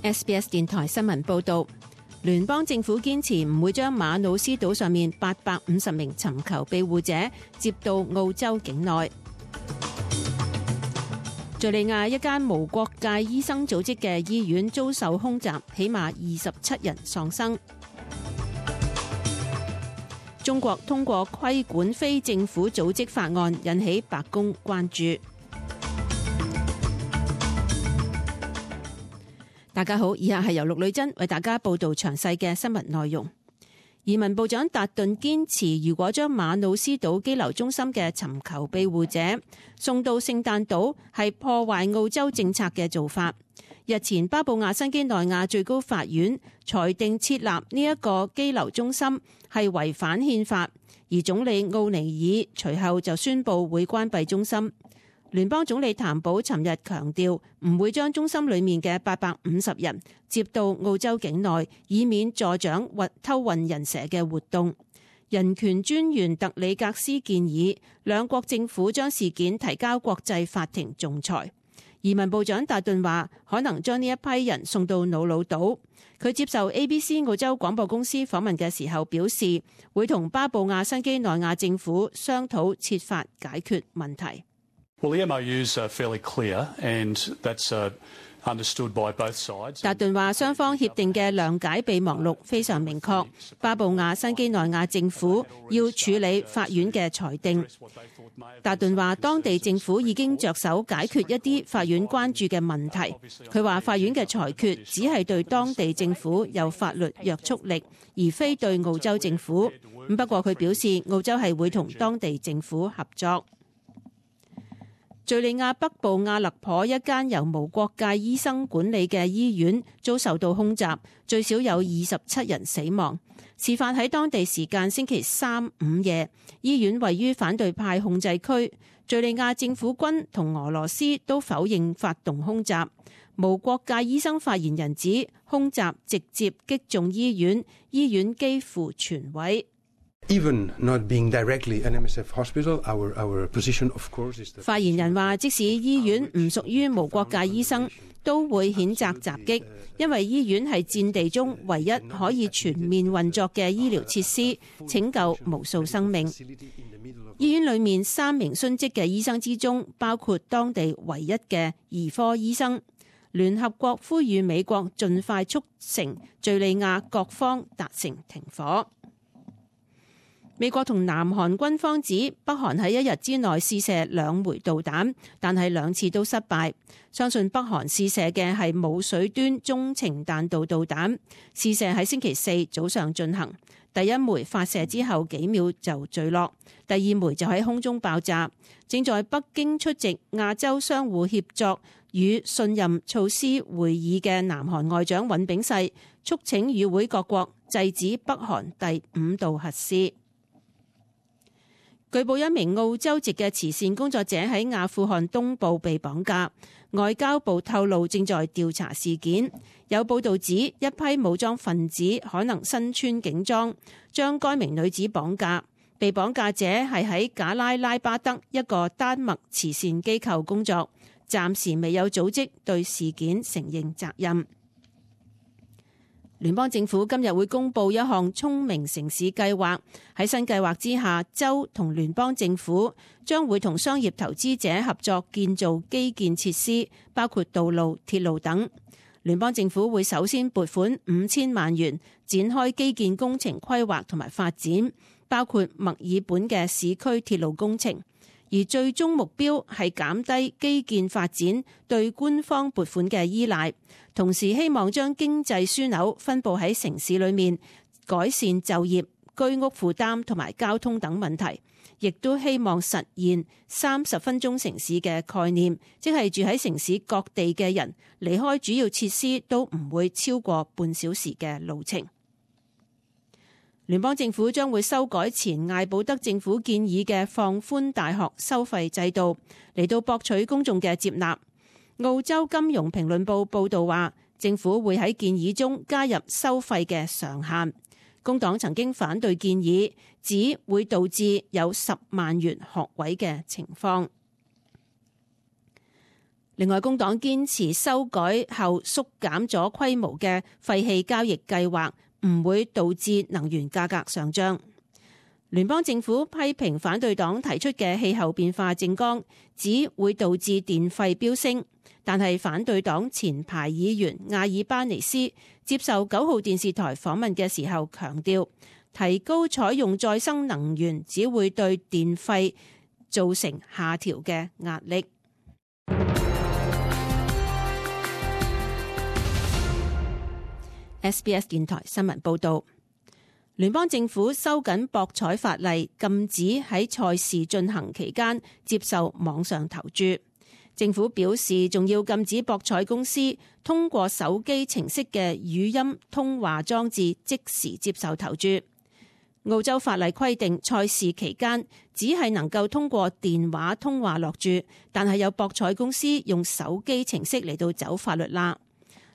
SBS 電台新聞報導，聯邦政府堅持唔會將馬努斯島上面850名尋求庇護者接到澳洲境內。敘利亞一間無國界醫生組織嘅醫院遭受空襲，起碼27人喪生。中國通過規管非政府組織法案，引起白宮關注。大家好，以下係由陸女珍為大家報道詳細嘅新聞內容。移民部長達頓堅持，如果將馬努斯島羈留中心嘅尋求庇護者送到聖誕島，係破壞澳洲政策嘅做法。日前，巴布亞新畿內亞最高法院裁定設立呢一個羈留中心係違反憲法，而總理奧尼爾隨後就宣布會關閉中心。聯邦總理譚寶尋日強調，唔會將中心裡面嘅850人接到澳洲境內，以免助長偷運人蛇嘅活動。人權專員特里格斯建議兩國政府將事件提交國際法庭仲裁。移民部長達頓話，可能將呢一批人送到瑙魯島。佢接受 ABC 澳洲廣播公司訪問嘅時候表示，會同巴布亞新畿內亞政府商討設法解決問題。Well, the MOUs are fairly clear, and that's understood by both sides. 達頓話，雙方協定嘅諒解備忘錄非常明確，巴布亞新畿內亞政府要處理法院嘅裁定。達頓話，當地政府已經着手解決一啲法院關注嘅問題。佢話，法院嘅裁決只係對當地政府有法律約束力，而非對澳洲政府。不過佢表示，澳洲係會同當地政府合作。敘利亞北部阿勒頗一間由無國界醫生管理嘅醫院遭受到空襲，最少有27人死亡。事發喺當地時間星期三午夜，醫院位於反對派控制區。敘利亞政府軍同俄羅斯都否認發動空襲。無國界醫生發言人指，空襲直接擊中醫院，醫院幾乎全毀。Even not being directly an MSF hospital, our position, of course, is that 發言人話，即使醫院唔屬於無國界醫生，都會譴責襲擊，因為醫院係戰地中唯一可以全面運作嘅醫療設施，拯救無數生命。醫院裏面3名殉職嘅醫生之中，包括當地唯一嘅兒科醫生。聯合國呼籲美國盡快促成敘利亞各方達成停火。美國同南韓軍方指北韓喺1日之內試射2枚導彈，但係2次都失敗。相信北韓試射嘅係冇水端中程彈道導彈，試射喺星期4早上進行。第1枚發射之後幾秒就墜落，第2枚就喺空中爆炸。正在北京出席亞洲相互協作與信任措施會議嘅南韓外長尹炳世促請與會各國制止北韓第5度核試。據報一名澳洲籍嘅慈善工作者喺阿富汗東部被綁架，外交部透露正在調查事件。有報道指一批武裝分子可能身穿警裝，將該名女子綁架。被綁架者係喺賈拉拉巴德一個丹麥慈善機構工作，暫時未有組織對事件承認責任。聯邦政府今日會公布一項聰明城市計劃，喺新計劃之下，州同聯邦政府將會同商業投資者合作建造基建設施，包括道路、鐵路等。聯邦政府會首先撥款5000萬元，展開基建工程規劃同埋發展，包括墨爾本嘅市區鐵路工程。而最終目標係減低基建發展對官方撥款嘅依賴，同時希望將經濟樞紐分佈喺城市裏面，改善就業、居屋負擔同埋交通等問題，亦都希望實現30分鐘城市嘅概念，即係住喺城市各地嘅人離開主要設施都唔會超過半小時嘅路程。聯邦政府將會修改前艾保德政府建議嘅放寬大學收費制度，嚟到博取公眾嘅接納。澳洲金融評論報報導話，政府會喺建議中加入收費嘅上限。工黨曾經反對建議，指會導致有10萬元學位嘅情況。另外，工黨堅持修改後縮減咗規模嘅廢氣交易計劃唔會導致能源價格上漲。聯邦政府批評反對黨提出嘅氣候變化政綱，指會導致電費飆升。但係反對黨前排議員亞爾巴尼斯接受9號電視台訪問嘅時候強調，提高採用再生能源只會對電費造成下調嘅壓力。SBS 電台新聞報導。聯邦政府收緊博彩法例，禁止喺賽事進行期間接受網上投注。政府表示，仲要禁止博彩公司通過手機程式嘅語音通話裝置即時接受投注。澳洲法例規定，賽事期間只係能夠通過電話通話落注，但係有博彩公司用手機程式嚟到走法律罅。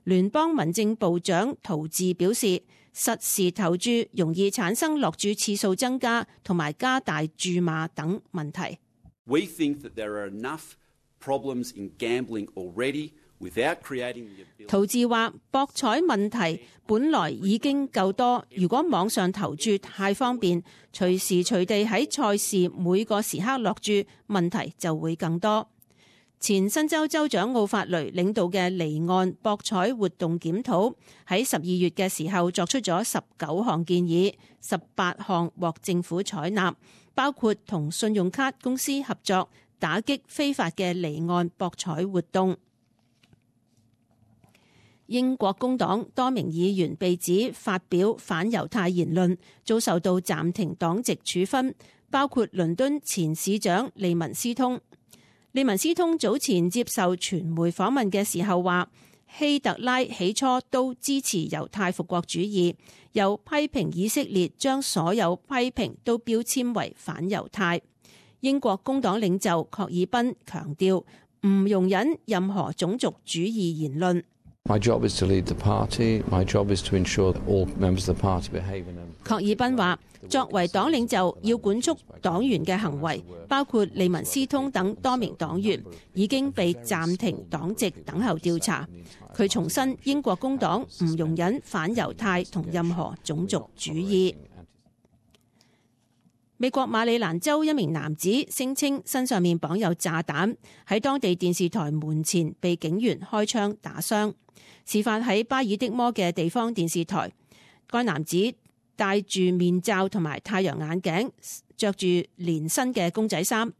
聯邦民政部長陶治表示，實時投注容易產生落注次數增加同埋加大注碼等問題。We think that there are enough problems in gambling already without creating the ability。陶治話，博彩問題本來已經夠多，如果網上投注太方便，隨時隨地喺賽事每個時刻落注，問題就會更多。前新州州長奧法雷領導嘅離岸博彩活動檢討喺12月嘅時候作出咗19項建議，18項獲政府採納，包括同信用卡公司合作打擊非法嘅離岸博彩活動。英國工黨多名議員被指發表反猶太言論，遭受到暫停黨籍處分，包括倫敦前市長利文斯通。利文斯通早前接受傳媒訪問嘅時候話，希特拉起初都支持猶太復國主義，又批評以色列將所有批評都標籤為反猶太。英國工黨領袖郝爾賓強調，唔容忍任何種族主義言論。My job is to lead the party. My job is to ensure that all members of the party behave in a... 郝爾賓話，作為黨領袖要管束黨員嘅行為，包括利文斯通等多名黨員已經被暫停黨籍等候調查。佢重申英國工黨唔容忍反猶太同任何種族主義。美國馬里蘭州一名男子聲稱身上面綁有炸彈，喺當地電視台門前被警員開槍打傷。事發喺巴爾的摩嘅地方電視台，該男子戴住面罩同埋太陽眼鏡，着住連身嘅公仔衫。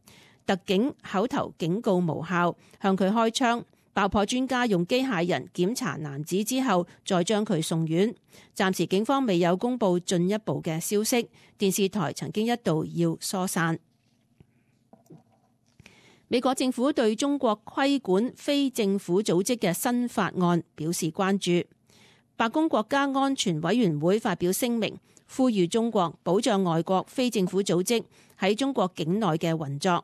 特警口頭警告無效，向佢開槍。爆破專家用機械人檢查男子之後，再將佢送院。暫時警方未有公布進一步嘅消息。電視台曾經一度要疏散。美國政府對中國規管非政府組織嘅新法案表示關注。白宮國家安全委員會發表聲明，呼籲中國保障外國非政府組織喺中國境內嘅運作。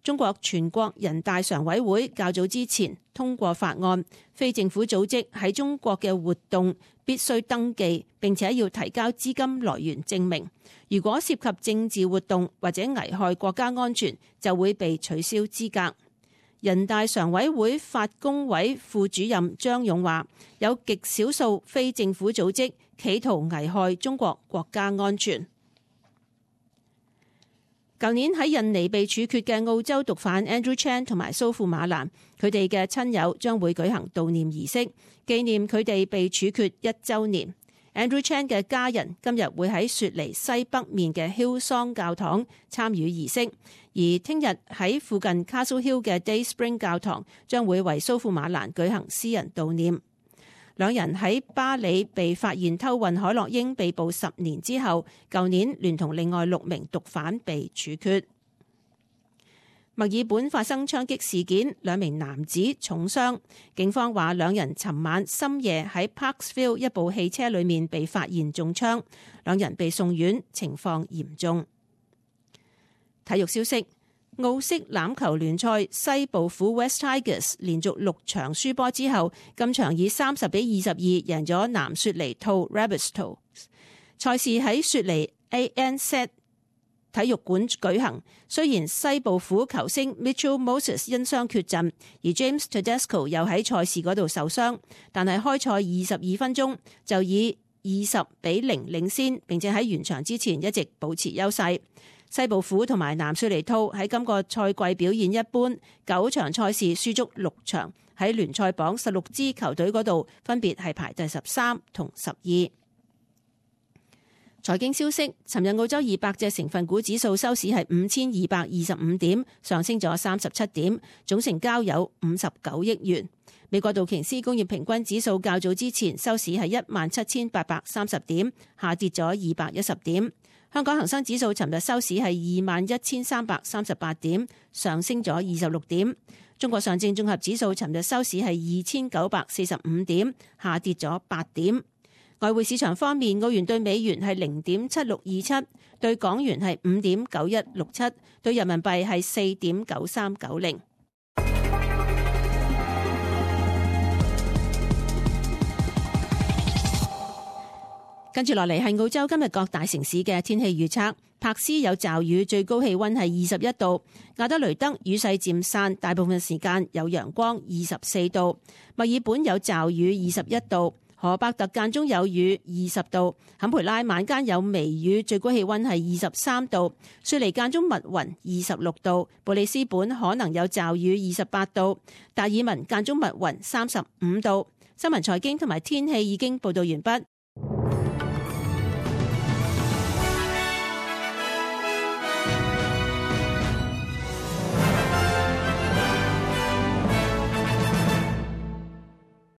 中國全國人大常委會較早之前通過法案，非政府組織喺中國嘅活動必須登記，並且要提交資金來源證明。如果涉及政治活動或者危害國家安全，就會被取消資格。人大常委會法工委副主任張勇話，有極少數非政府組織企圖危害中國國家安全。舊年喺印尼被處決嘅澳洲毒販 Andrew Chan 同埋蘇富瑪蘭，佢哋嘅親友將會舉行悼念儀式，紀念佢哋被處決1週年。Andrew Chan 嘅家人今日會喺雪梨西北面嘅 Hillsong 教堂參與儀式，而聽日喺附近 Castle Hill 嘅 Dayspring 教堂將會為蘇富瑪蘭舉行私人悼念。兩人喺巴里被發現偷運海洛英被捕10年之後，舊年聯同另外6名毒販被處決。墨爾本發生槍擊事件，2名男子重傷。警方話兩人尋晚深夜喺 Parksville 一部汽車裏面被發現中槍，兩人被送院，情況嚴重。體育消息。澳式欖球聯賽西部虎 West Tigers 連續6場輸波之後，今場以30-22贏咗南雪梨兔 Rabbitohs。賽事喺雪梨 ANZ 體育館舉行。雖然西部虎球星 Mitchell Moses 因傷缺陣，而 James Tedesco 又喺賽事嗰度受傷，但係開賽22分鐘就以20-0領先，並且喺完場之前一直保持優勢。西部虎同埋南雪梨兔喺今個賽季表現一般，9場賽事輸足6場，喺聯賽榜16支球隊嗰度分別係排第13同12。財經消息，尋日澳洲200隻成分股指數收市係5225點，上升咗37點，總成交有59億元。美國道瓊斯工業平均指數較早之前收市係17830點，下跌咗210點。香港恒生指數尋日收市係21338點，上升咗26點。中國上證綜合指數尋日收市係2945點，下跌咗8點。外匯市場方面，澳元對美元係0.7627，對港元係5.9167，對人民幣係4.9390。跟住落嚟係澳洲今日各大城市嘅天氣預測。柏斯有驟雨，最高氣溫係21度；亞德雷德雨勢漸散，大部分時間有陽光，24度；墨爾本有驟雨，21度；荷伯特間中有雨，20度；坎培拉晚間有微雨，最高氣溫係23度；雪梨間中密雲，26度；布里斯本可能有驟雨，28度；達爾文間中密雲，35度。新聞財經同埋天氣已經報道完畢。